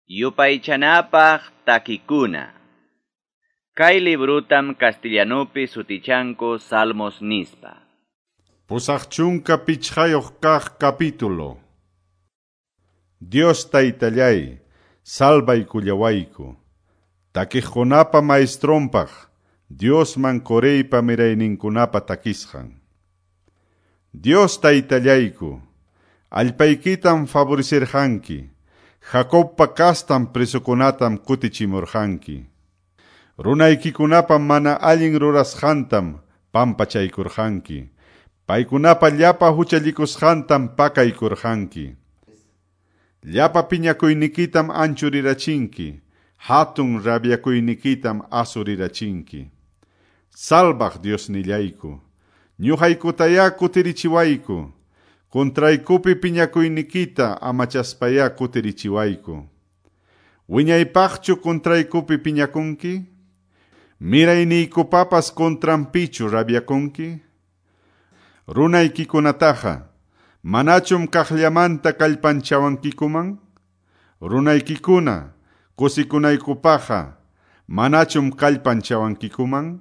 Yupaychanapaq takikuna. Kay librutam castellanupi sutichanku Salmos nispa. 85 kaq capítulo. Dios taytallay, salvaykullawayku. Takiqkunapa maestronpaq, Diosman Coreypa mirayninkunapa takisqan. Dios taytallayku, allpaykitam favorecerqanki, Jacobpa kastan presokunatam kutichimurqanki. Runaykikunapa mana allin rurasqantam pampachaykurqanki. Paykunapa llapa huchallikusqantam pakaykurqanki. Llapa piñakuynikitam anchurirachinki, hatun rabiakuynikitam asurirachinki. Salvaq Diosnillayku, ñuqaykutayá kutirichiwayku, contraykupi piñakuynikita amachaspayá kutirichiwayku. Wiñaypaqchu contraykupi piñakunki? Mirayniykupapas contranpichu rabiakunki? Runaykikunataqa, manachum kaqllamanta kallpanchawankikuman? Runaykikuna, kusikunaykupaqqa, manachum kallpanchawankikuman?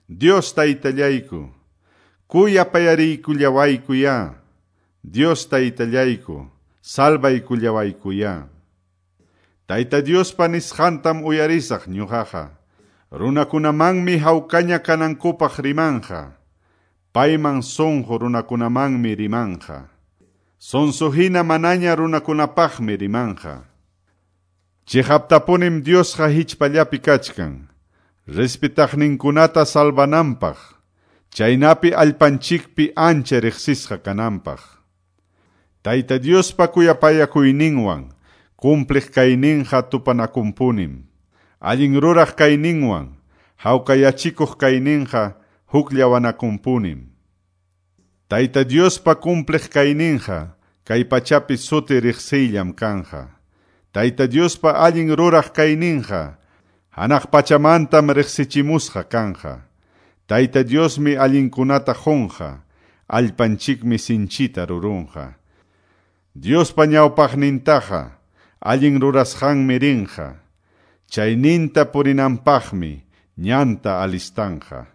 Dios taytallayku, kuyapayariykullawayku Dios taytallayku, salvaykullawayku Tayta Diospa nisqantam uyarisaq ñuqaqa. Runakunamanmi hawkaña kanankupaq rimanja. Payman sunqu runakunamanmi rimanja. Sonsohina manaña runakunapaqmi rimanja. Chiqaptapunim Diosqa hichpallapi kachkan. Respetaqninkunata salvananpaq. Chaynapi allpanchikpi ancha riqsisqa kananpaq. Tayta Diospa kuyapayakuyninwan, cumpliq kayninqa tupanakunpunim. Allin ruraq kayninwan, hawkayachikuq kayninqa hukllawanakunpunim. Tayta Diospa cumpliq kayninqa kay pachapi suti riqsiyllam kanja. Tayta Diospa allin ruraq kayninqa hanaq pachamantam riqsichimusqa kanja. Tayta Diosmi allinkunata qunqa, allpanchikmi sinchita rurunqa. Diospa ñawpaqnintaqa allin rurasqanmi rinqa, chayninta purinanpaqmi ñanta alistanja.